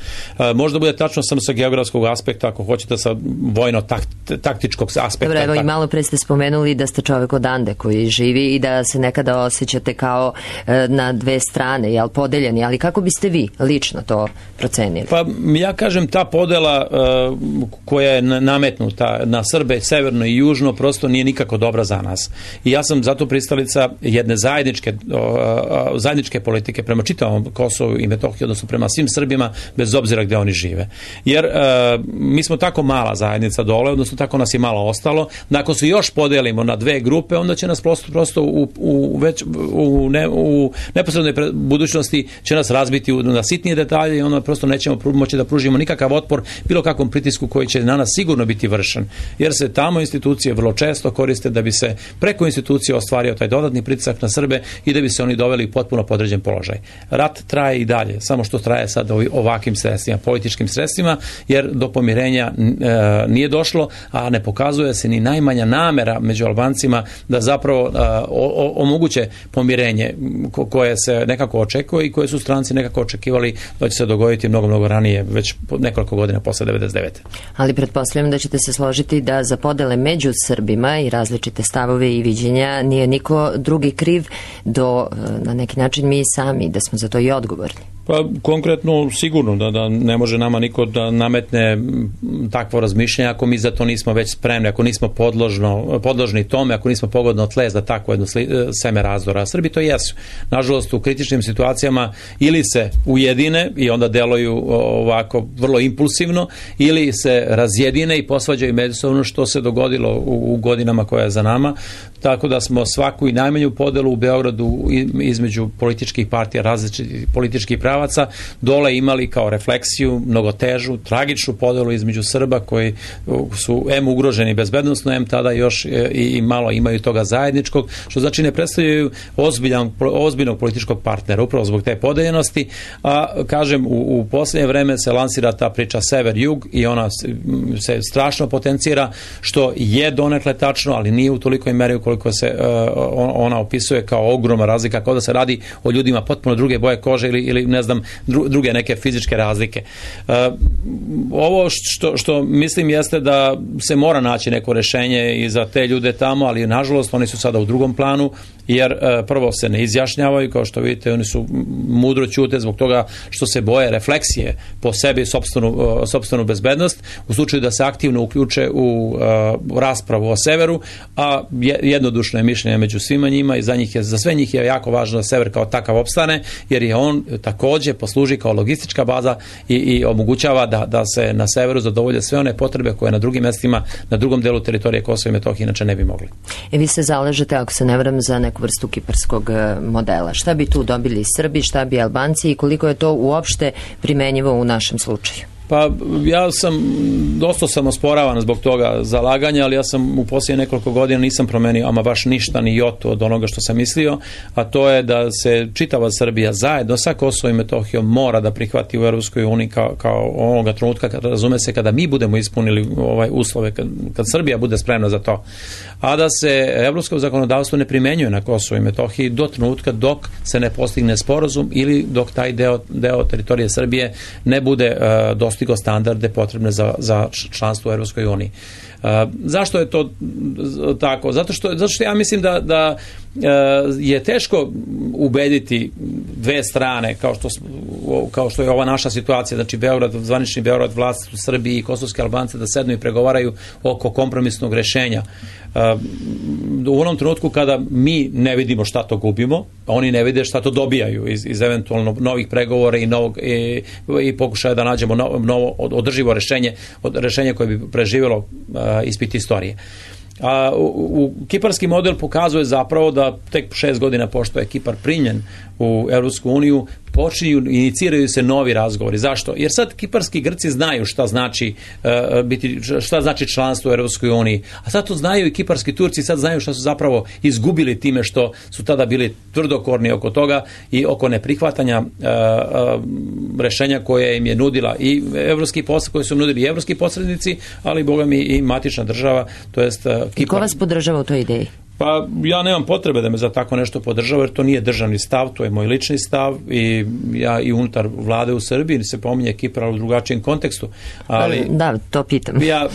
Može da bude tačno samo sa geografskog aspekta, ako hoćete sa vojno-taktičkog aspekta.
Dobro, evo i malo pre ste spomenuli da ste čovek odande koji živi i da se nekada osjećate kao na dve strane, jel, podeljeni, ali kako biste vi lično to procenili?
Pa ja kažem, ta podela koja je nametnuta na Srbe severno i južno prosto nije nikako dobra za nas. I ja sam zato pristalica jedne zajedničke politike prema čitavom Kosovu i Metohiji, odnosno prema svim Srbima, bez obzira gdje oni žive. Jer mi smo tako mala zajednica dole, odnosno tako nas je malo ostalo, da ako se još podelimo na dve grupe, onda će nas prosto u neposrednoj budućnosti će nas razbiti na sitnije detalje i onda prosto nećemo moći da pružimo nikakav otpor bilo kakvom pritisku koji će na nas sigurno biti vršen. Jer se tamo institucije vrlo često koriste da bi se preko institucije ostvario taj dodatni pritisak na Srbe i da bi se oni doveli u potpuno podređen položaj. Rat traje i dalje, samo što traje sad ovakvim sredstvima, političkim sredstvima, jer do pomirenja nije došlo, a ne pokazuje se ni najmanja namera među Albancima da zapravo omoguće pomirenje koje se nekako očekuje i koje su stranci nekako očekivali da će se dogoditi mnogo ranije, već nekoliko godina posle 99.
Ali pretpostavljam da ćete se složiti da za podele među Srbima i različite stavove i viđenja nije niko drugi kriv do, na neki način, mi sami, da smo za to i odgovorni.
Pa konkretno sigurno da ne može nama niko da nametne takvo razmišljanje ako mi za to nismo već spremni, ako nismo podložni tome, ako nismo pogodno tle za takvo jedno seme razdora. A Srbi to jesu. Nažalost, u kritičnim situacijama ili se ujedine i onda deluju ovako vrlo impulsivno, ili se razjedine i posvađaju međusobno, što se dogodilo u godinama koja je za nama. Tako da smo svaku i najmanju podelu u Beogradu između političkih partija, različitih političkih pravaca, dole imali kao refleksiju mnogo težu, tragičnu podelu između Srba koji su ugroženi bezbednosno, tada još i malo imaju toga zajedničkog, što znači ne predstavljaju ozbiljnog političkog partnera, upravo zbog te podeljenosti, a kažem, u posljednje vreme se lansira ta priča sever-jug i ona se strašno potencira, što je donekle tačno, ali nije u tolikoj meri koliko se ona opisuje kao ogromna razlika, kao da se radi o ljudima potpuno druge boje kože ili ne znam, druge neke fizičke razlike. Ovo što mislim jeste da se mora naći neko rešenje i za te ljude tamo, ali nažalost oni su sada u drugom planu, jer prvo se ne izjašnjavaju, kao što vidite, oni su mudro ćute zbog toga što se boje refleksije po sebi, sopstvenu bezbednost, u slučaju da se aktivno uključe u raspravu o severu, a jednodušno je mišljenje među svima njima i za sve njih je jako važno da sever kao takav opstane, jer je on također posluži kao logistička baza i omogućava da se na severu zadovolje sve one potrebe koje na drugim mjestima, na drugom delu teritorije Kosova i Metohije inače ne bi mogli.
Vi se zalažete, ako se ne varam, za neku vrstu kiparskog modela. Šta bi tu dobili Srbi, šta bi Albanci i koliko je to uopšte primenjivo u našem slučaju?
Pa ja sam dosta samosporavan zbog toga zalaganja, ali ja sam u posljednje nekoliko godina nisam promenio ama baš ništa ni jotu od onoga što sam mislio, a to je da se čitava Srbija zajedno sa Kosovom i Metohijom mora da prihvati u Europskoj uniji kao onoga trenutka, razume se, kada mi budemo ispunili uslove, kad Srbija bude spremna za to. A da se evropsko zakonodavstvo ne primenjuje na Kosovo i Metohiji do trenutka dok se ne postigne sporazum ili dok taj deo teritorije Srbije ne bude dostigao standarde potrebne za članstvo u Europskoj uniji. Zašto je to tako? Zato što ja mislim da je teško ubediti dve strane, kao što je ova naša situacija, znači zvanični Beograd, vlast u Srbiji i kosovske Albance, da sednu i pregovaraju oko kompromisnog rešenja. U onom trenutku kada mi ne vidimo šta to gubimo, oni ne vide šta to dobijaju iz eventualno novih pregovora i pokušaja da nađemo novo održivo rešenje koje bi preživjelo ispit istorije. Kiparski model pokazuje zapravo da tek 6 godina pošto je Kipar primljen u Europsku uniju, iniciraju se novi razgovori. Zašto? Jer sad kiparski Grci znaju šta znači članstvo u Europskoj uniji, a sad to znaju i kiparski Turci, sad znaju šta su zapravo izgubili time što su tada bili tvrdokorni oko toga i oko neprihvatanja rešenja koje im je nudila i koje su nudili i evropski posrednici, ali boga mi i matična država, to jest Kipar.
I ko vas podržava u toj ideji?
Pa ja nemam potrebe da me za tako nešto podržava, jer to nije državni stav, to je moj lični stav i ja i unutar vlade u Srbiji se pominje Kipar, ali u drugačijem kontekstu. Ali,
da, to pitam.
Ja,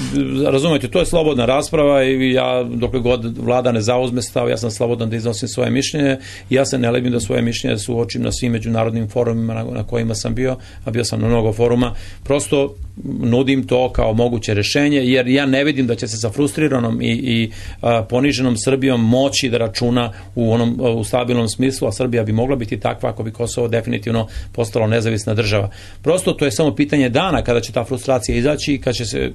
razumete, to je slobodna rasprava i ja, dokle god vlada ne zauzme stav, ja sam slobodan da iznosim svoje mišljenje i ja se ne libim da svoje mišljenje suočim na svim međunarodnim forumima na kojima sam bio, a bio sam na mnogo foruma. Prosto nudim to kao moguće rješenje, jer ja ne vidim da će se sa frustriranom i poniženom Srbijom moći da računa u stabilnom smislu, a Srbija bi mogla biti takva ako bi Kosovo definitivno postalo nezavisna država. Prosto to je samo pitanje dana kada će ta frustracija izaći i kada će se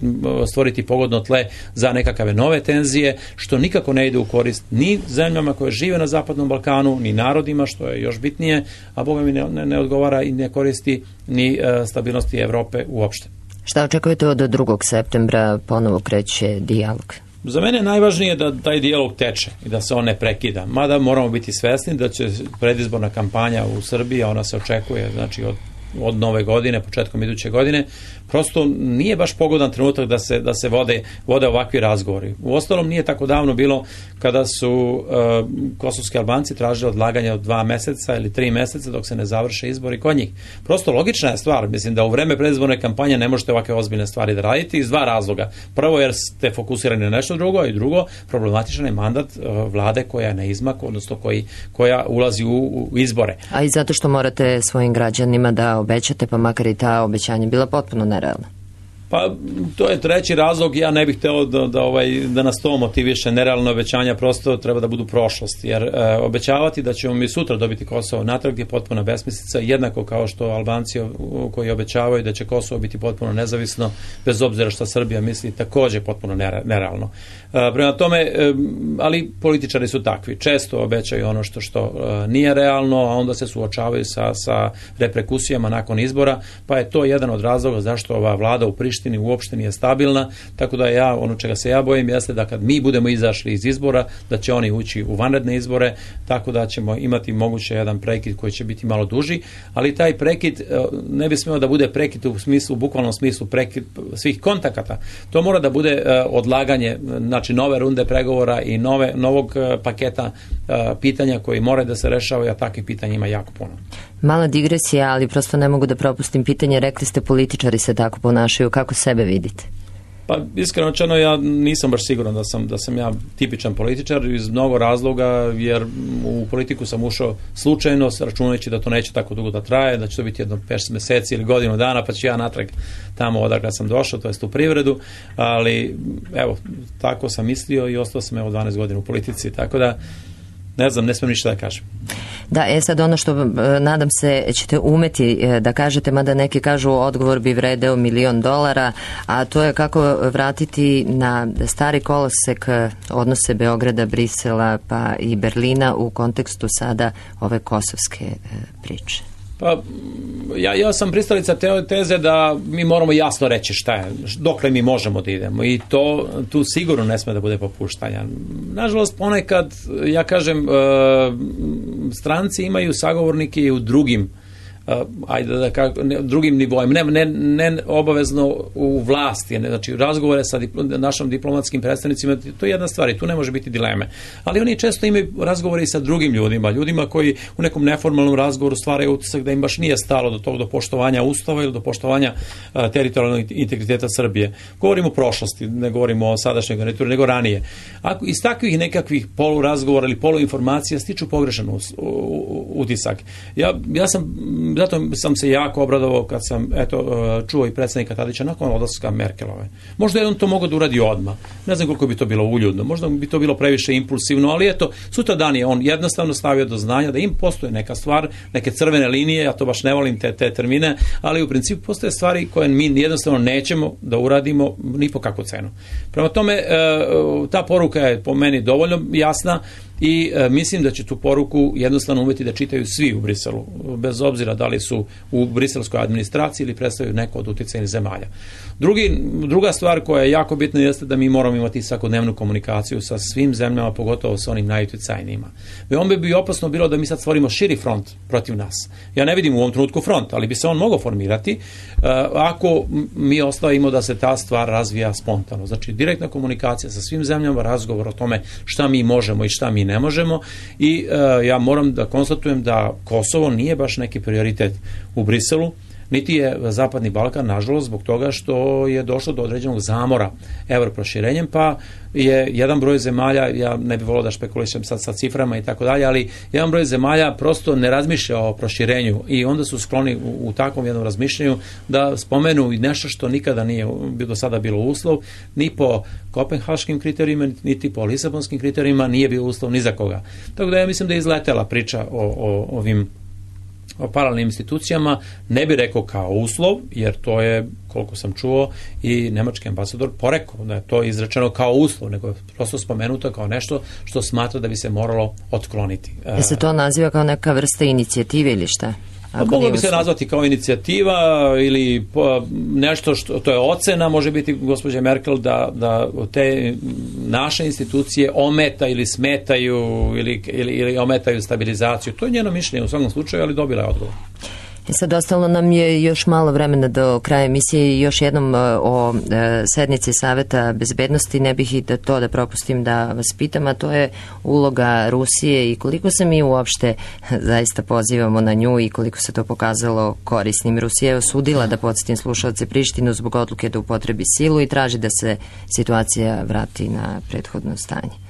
stvoriti pogodno tle za nekakve nove tenzije, što nikako ne ide u korist ni zemljama koje žive na Zapadnom Balkanu, ni narodima, što je još bitnije, a Boga mi ne odgovara i ne koristi ni stabilnosti Evrope uopšte.
Šta očekujete od 2. septembra ponovo kreće dijalog?
Za mene je najvažnije da taj dijalog teče i da se on ne prekida. Mada moramo biti svesni da će predizborna kampanja u Srbiji, a ona se očekuje znači od nove godine, početkom iduće godine, prosto nije baš pogodan trenutak da se vode ovakvi razgovori. Uostalom nije tako davno bilo kada su kosovski Albanci tražili odlaganje od 2 meseca ili 3 meseca dok se ne završe izbori kod njih. Prosto logična je stvar, mislim da u vreme predizborne kampanje ne možete ovakve ozbiljne stvari da radite iz 2 razloga. Prvo jer ste fokusirani na nešto drugo i drugo, problematičan je mandat vlade koja je na izmaku, odnosno koja ulazi u izbore.
A i zato što morate svojim građanima da obećate, pa makar i ta obećanja bila potpuno nerealna.
Pa to je treći razlog, ja ne bih hteo da nas to motiviše, nerealne obećanja prosto treba da budu prošlost, jer obećavati da ćemo mi sutra dobiti Kosovo natrag je potpuna besmislica, jednako kao što Albanci koji obećavaju da će Kosovo biti potpuno nezavisno, bez obzira što Srbija misli, također potpuno nerealno. Prema tome, ali političari su takvi, često obećaju ono što nije realno, a onda se suočavaju sa reperkusijama nakon izbora, pa je to jedan od razloga zašto ova vlada u Prištini uopšte nije stabilna, tako da ono čega se ja bojim jeste da kad mi budemo izašli iz izbora, da će oni ući u vanredne izbore, tako da ćemo imati moguće jedan prekid koji će biti malo duži, ali taj prekid ne bi smeo da bude prekid u bukvalnom smislu prekid svih kontakata. To mora da bude odlaganje, znači nove runde pregovora i novog paketa pitanja koji moraju da se rešavaju, a takvih pitanja ima jako puno.
Mala digresija, ali prosto ne mogu da propustim pitanje. Rekli ste političari se tako ponašaju. Kako sebe vidite?
Pa iskreno rečeno, ja nisam baš siguran da sam ja tipičan političar iz mnogo razloga, jer u politiku sam ušao slučajno, računajući da to neće tako dugo da traje, da će to biti jedno 5 meseci ili godinu dana, pa ću ja natrag tamo odakle sam došao, to jest u privredu, ali evo, tako sam mislio i ostao sam 12 godina u politici, tako da ne znam, ne smijem ništa da kažem.
Da, sad ono što nadam se ćete umeti da kažete, mada neki kažu odgovor bi vredeo $1 milion, a to je kako vratiti na stari kolosek odnose Beograda, Brisela pa i Berlina u kontekstu sada ove kosovske priče.
Pa, ja sam pristalica teze da mi moramo jasno reći šta je, dokle mi možemo da idemo i tu sigurno ne sme da bude popuštanja. Nažalost, ponekad, ja kažem, stranci imaju sagovornike i u drugim drugim nivoima, ne obavezno u vlasti, znači razgovore sa našim diplomatskim predstavnicima, to je jedna stvar i tu ne može biti dileme. Ali oni često imaju razgovore i sa drugim ljudima koji u nekom neformalnom razgovoru stvaraju utisak da im baš nije stalo do poštovanja Ustava ili do poštovanja teritorijalnog integriteta Srbije. Govorimo o prošlosti, ne govorimo o sadašnjoj garnituri, nego ranije. Ako iz takvih nekakvih polurazgovora ili poluinformacija stiču pogrešan utisak. Zato sam se jako obradovao kad sam čuo i predsjednika Tadića nakon odlaska Merkelove. Možda je on to mogao da uradi odmah. Ne znam koliko bi to bilo uljudno. Možda bi to bilo previše impulsivno, ali sutradan je on jednostavno stavio do znanja da im postoje neka stvar, neke crvene linije, ja to baš ne volim te termine, ali u principu postoje stvari koje mi jednostavno nećemo da uradimo ni po kakvu cenu. Prema tome, ta poruka je po meni dovoljno jasna. i mislim da će tu poruku jednostavno uveti da čitaju svi u Briselu, bez obzira da li su u briselskoj administraciji ili predstavljaju neko od uticajnih zemalja. Druga stvar koja je jako bitna jeste da mi moramo imati svakodnevnu komunikaciju sa svim zemljama, pogotovo sa onim najuticajnijima. Veoma bi opasno bilo da mi sad stvorimo širi front protiv nas. Ja ne vidim u ovom trenutku front, ali bi se on mogao formirati ako mi ostavimo da se ta stvar razvija spontano. Znači, direktna komunikacija sa svim zemljama, razgovor o tome šta mi možemo i šta mi ne možemo, i ja moram da konstatujem da Kosovo nije baš neki prioritet u Briselu, niti je Zapadni Balkan, nažalost, zbog toga što je došlo do određenog zamora evroproširenjem, pa je jedan broj zemalja, ja ne bih volio da špekulišem sad sa ciframa i tako dalje, ali jedan broj zemalja prosto ne razmišlja o proširenju i onda su skloni u takvom jednom razmišljanju da spomenu nešto što nikada nije do sada bilo uslov, ni po kopenhaškim kriterijima, niti po lisabonskim kriterijima nije bio uslov ni za koga. Tako da ja mislim da je izletela priča o ovim paralelnim institucijama, ne bi rekao kao uslov, jer to je, koliko sam čuo, i nemački ambasador porekao da je to izrečeno kao uslov, nego je prosto spomenuto kao nešto što smatra da bi se moralo otkloniti.
Se to naziva kao neka vrsta inicijative ili šta?
Moglo bi se nazvati kao inicijativa ili nešto što, to je ocena, može biti gospođe Merkel da te naše institucije ometa ili smetaju ili ometaju stabilizaciju. To je njeno mišljenje u svakom slučaju, ali dobila je odgovor.
Sad ostalo nam je još malo vremena do kraja emisije i još jednom o sednici Saveta bezbednosti. Ne bih i da propustim da vas pitam, a to je uloga Rusije i koliko se mi uopšte zaista pozivamo na nju i koliko se to pokazalo korisnim. Rusija je osudila, da podsjetim slušalce, Prištinu zbog odluke da upotrebi silu i traži da se situacija vrati na prethodno stanje.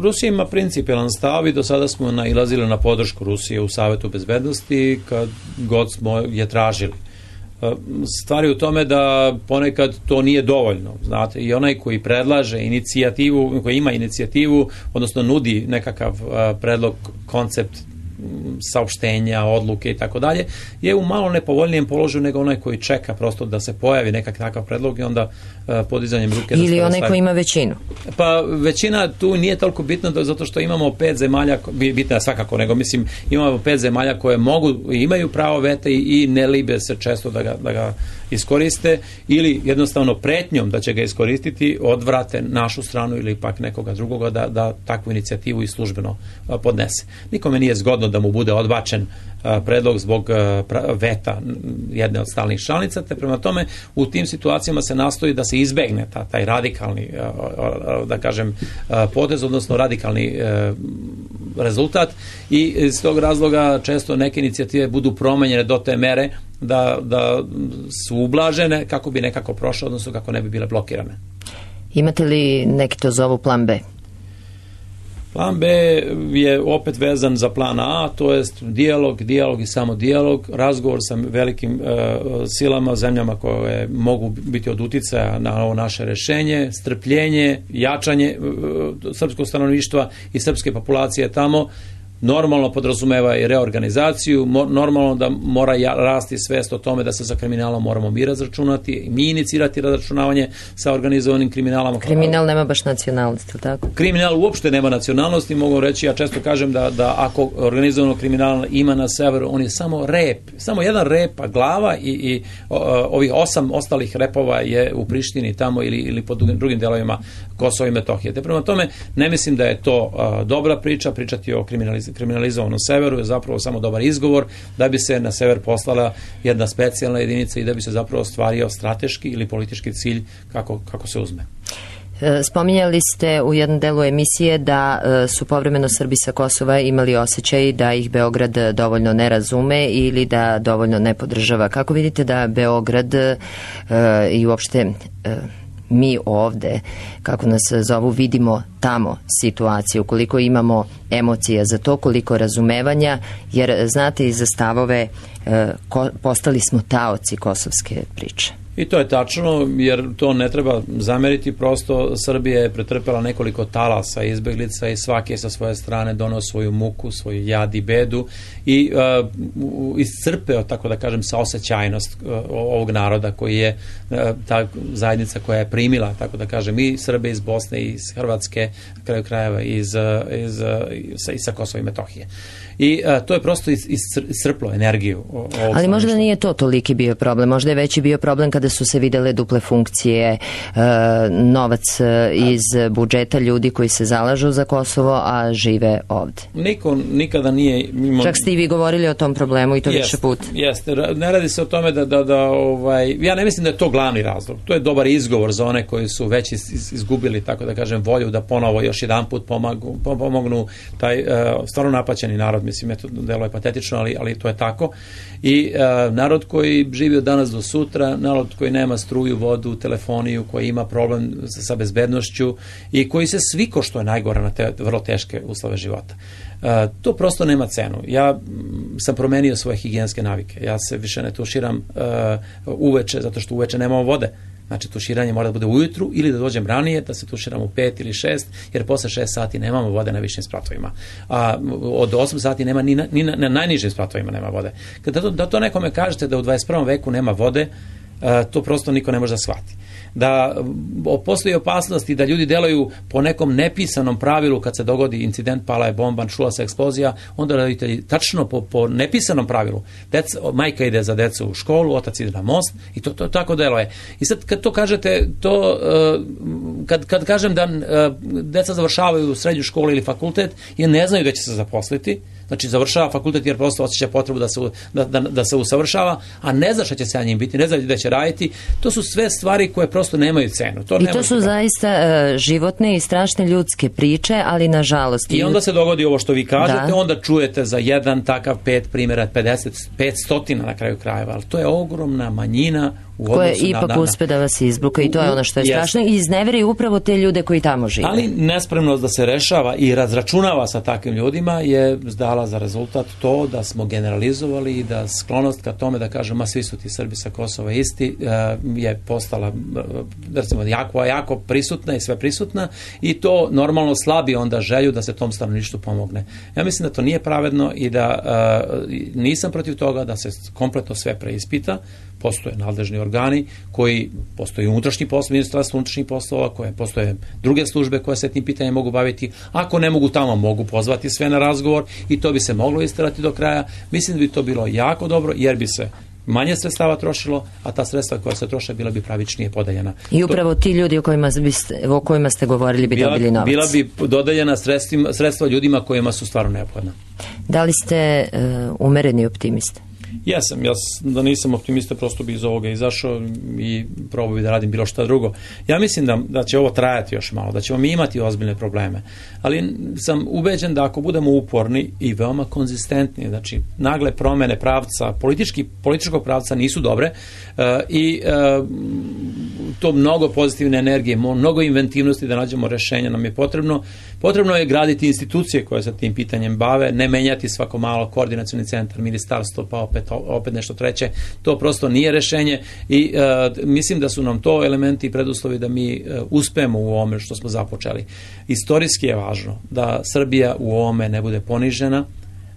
Rusija ima principijelan stav i do sada smo nailazili na podršku Rusije u Savetu bezbednosti kad god smo je tražili. Stvar je u tome da ponekad to nije dovoljno, znate, i onaj koji predlaže inicijativu, koji ima inicijativu, odnosno nudi nekakav predlog, koncept saopštenja, odluke i tako dalje, je u malo nepovoljnijem položaju nego onaj koji čeka prosto da se pojavi nekakav takav predlog i onda podizanjem ruke...
Ili onaj koji ima većinu.
Pa većina tu nije toliko bitna zato što imamo 5 zemalja, bitna svakako, nego mislim imamo 5 zemalja koje mogu i imaju pravo veta i ne libe se često da ga iskoriste ili jednostavno pretnjom da će ga iskoristiti odvrate našu stranu ili pak nekoga drugoga da takvu inicijativu i službeno podnese. Nikome nije zgodno da mu bude odbačen predlog zbog veta jedne od stalnih članica, te prema tome u tim situacijama se nastoji da se izbegne taj radikalni, da kažem, potez, odnosno radikalni rezultat, i iz tog razloga često neke inicijative budu promenjene do te mere da su ublažene kako bi nekako prošle, odnosno kako ne bi bile blokirane.
Imate li neki to zovu plan B?
Plan B je opet vezan za plan A, to jest dijalog i samo dijalog, razgovor sa velikim silama, zemljama koje mogu biti od uticaja na ovo naše rešenje, strpljenje, jačanje srpskog stanovništva i srpske populacije tamo, normalno podrazumeva i reorganizaciju, normalno da mora rasti svest o tome da se sa kriminalom moramo mi razračunati, mi inicirati razračunavanje sa organizovanim kriminalom.
Kriminal nema baš nacionalnosti, tako?
Kriminal uopšte nema nacionalnosti, mogu reći, ja često kažem da ako organizovano kriminal ima na severu, on je samo rep, samo jedan rep, a glava i ovih 8 ostalih repova je u Prištini tamo ili po drugim delovima Kosova i Metohije. Te prema tome, ne mislim da je to dobra priča, pričati o kriminalizovanom severu je zapravo samo dobar izgovor da bi se na sever poslala jedna specijalna jedinica i da bi se zapravo ostvario strateški ili politički cilj kako se uzme.
Spominjali ste u jednom delu emisije da su povremeno Srbi sa Kosova imali osjećaj da ih Beograd dovoljno ne razume ili da dovoljno ne podržava. Kako vidite da Beograd i uopšte mi ovde, kako nas zovu, vidimo tamo situaciju, koliko imamo emocija za to, koliko razumevanja, jer znate i za stavove postali smo taoci kosovske priče.
I to je tačno, jer to ne treba zameriti, prosto Srbija je pretrpela nekoliko talasa izbeglica i svaki je sa svoje strane donao svoju muku, svoju jad i bedu i iscrpeo, tako da kažem, saosećajnost ovog naroda koji je ta zajednica koja je primila, tako da kažem, i Srbe iz Bosne i iz Hrvatske, na kraju krajeva i sa Kosova i Metohije. I to je prosto iscrplo energiju.
Ali možda nije to toliki bio problem, možda je veći bio problem kada su se videle duple funkcije, novac iz budžeta ljudi koji se zalažu za Kosovo, a žive ovde.
Niko nikada nije
čak ste i vi govorili o tom problemu i to više puta.
Jeste, ne radi se o tome ja ne mislim da je to glavni razlog. To je dobar izgovor za one koji su već izgubili, tako da kažem, volju da ponovo još jedan put pomognu taj stvarno napaćeni narod. Mislim, to delo je patetično, ali to je tako. I narod koji živi od danas do sutra, narod koji nema struju, vodu, telefoniju, koji ima problem sa bezbednošću i koji se sviko, što je najgore, na te vrlo teške uslove života. To prosto nema cenu. Ja sam promenio svoje higijenske navike. Ja se više ne tuširam uveče, zato što uveče nemamo vode. Znači, tuširanje mora da bude ujutru ili da dođem ranije, da se tuširam u 5 ili 6, jer posle 6 sati nemamo vode na višim spratovima. A od 8 sati nema ni na najnižim spratovima nema vode. Da to nekome kažete da u 21. veku nema vode, to prosto niko ne može da shvati. Da postoji opasnost i da ljudi delaju po nekom nepisanom pravilu kad se dogodi incident, pala je bomba, čula se eksplozija, onda roditelji tačno po nepisanom pravilu. Majka ide za decu u školu, otac ide na most i to tako deluje. I sad kad to kažete, kad kažem da deca završavaju srednju školu ili fakultet i ne znaju da će se zaposliti, znači završava fakultet jer prosto osjeća potrebu da se usavršava, a ne zna šta će se na njim biti, ne zna da će raditi, to su sve stvari koje prosto nemaju cenu.
I to su zaista životne i strašne ljudske priče, ali nažalost...
I onda se dogodi ovo što vi kažete, onda čujete za jedan takav 5 primjera, 500 na kraju krajeva, ali to je ogromna manjina
koje ipak uspe da vas izbruka i to je ono što je strašno i izneveri upravo te ljude koji tamo žive.
Ali nespremnost da se rešava i razračunava sa takvim ljudima je dala za rezultat to da smo generalizovali i da sklonost ka tome da kažemo svi su ti Srbi sa Kosova isti je postala recimo jako prisutna i sve prisutna i to normalno slabi onda želju da se tom stanovništvu pomogne. Ja mislim da to nije pravedno i da nisam protiv toga da se kompletno sve preispita. Postoje nadležni organi koji, postoji unutrašnji posao, ministarstvo unutrašnjih poslova, koje postoje druge službe koje se tim pitanjem mogu baviti. Ako ne mogu tamo, mogu pozvati sve na razgovor i to bi se moglo isterati do kraja. Mislim da bi to bilo jako dobro jer bi se manje sredstava trošilo, a ta sredstva koja se troše bila bi pravičnije podeljena.
I upravo ti ljudi o kojima ste govorili bi dobili novac.
Bila bi dodeljena sredstva ljudima kojima su stvarno neophodna.
Da li ste umereni optimista?
Jesam, da nisam optimista prosto bi iz ovoga izašao i probao bi da radim bilo šta drugo. Ja mislim da će ovo trajati još malo, da ćemo mi imati ozbiljne probleme, ali sam ubeđen da ako budemo uporni i veoma konzistentni, znači nagle promene pravca, političkog pravca nisu dobre i to mnogo pozitivne energije, mnogo inventivnosti da nađemo rešenja nam je potrebno. Potrebno je graditi institucije koje se tim pitanjem bave, ne menjati svako malo koordinacioni centar, ministarstvo, pa opet nešto treće. To prosto nije rešenje i mislim da su nam to elementi i preduslovi da mi uspemo u ovome što smo započeli. Istorijski je važno da Srbija u ovome ne bude ponižena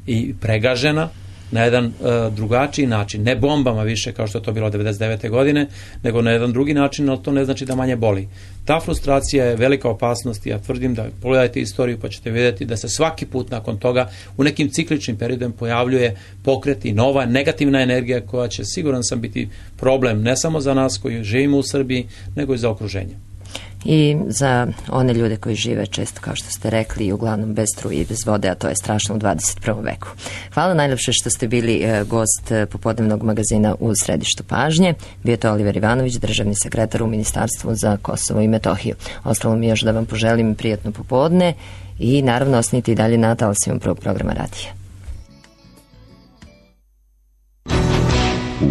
i pregažena na jedan drugačiji način, ne bombama više kao što je to bilo 99. godine, nego na jedan drugi način, ali to ne znači da manje boli. Ta frustracija je velika opasnost i ja tvrdim da pogledajte istoriju pa ćete vidjeti da se svaki put nakon toga u nekim cikličnim periodom pojavljuje pokret i nova negativna energija koja će, siguran sam, biti problem ne samo za nas koji živimo u Srbiji, nego i za okruženje.
I za one ljude koji žive često, kao što ste rekli, uglavnom bez struje i bez vode, a to je strašno u 21. veku. Hvala najlepše što ste bili gost popodnevnog magazina u središtu pažnje. Bio je to Oliver Ivanović, državni sekretar u Ministarstvu za Kosovo i Metohiju. Ostalo mi još da vam poželim prijatno popodne i naravno ostanite i dalje na talasima prvog programa radija.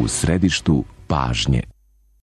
U središtu pažnje.